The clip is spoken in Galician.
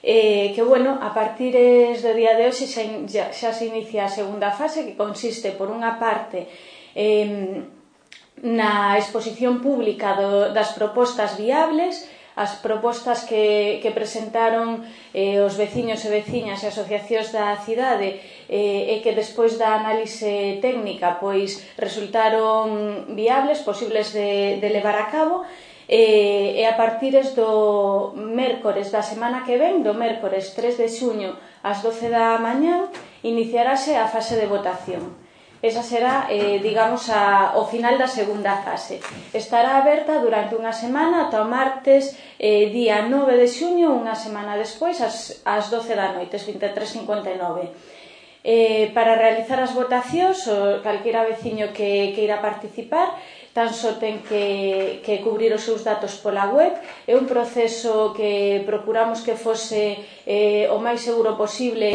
que, bueno, a partir do día de hoxe xa se inicia a segunda fase, que consiste, por unha parte, na exposición pública das propostas viables, as propostas que presentaron os veciños e veciñas e asociacións da cidade e que despois da análise técnica pois resultaron viables, posibles de levar a cabo, e a partir do mércores da semana que ven, do mércores 3 de xuño ás 12 da mañán, iniciarase a fase de votación. Esa será, digamos, o final da segunda fase. Estará aberta durante unha semana ata o martes día 9 de xuño, unha semana despois, ás 12 da noite, 23:59. Para realizar as votacións, calquera veciño que queira participar tan só ten que cubrir os seus datos pola web. É un proceso que procuramos que fose o máis seguro posible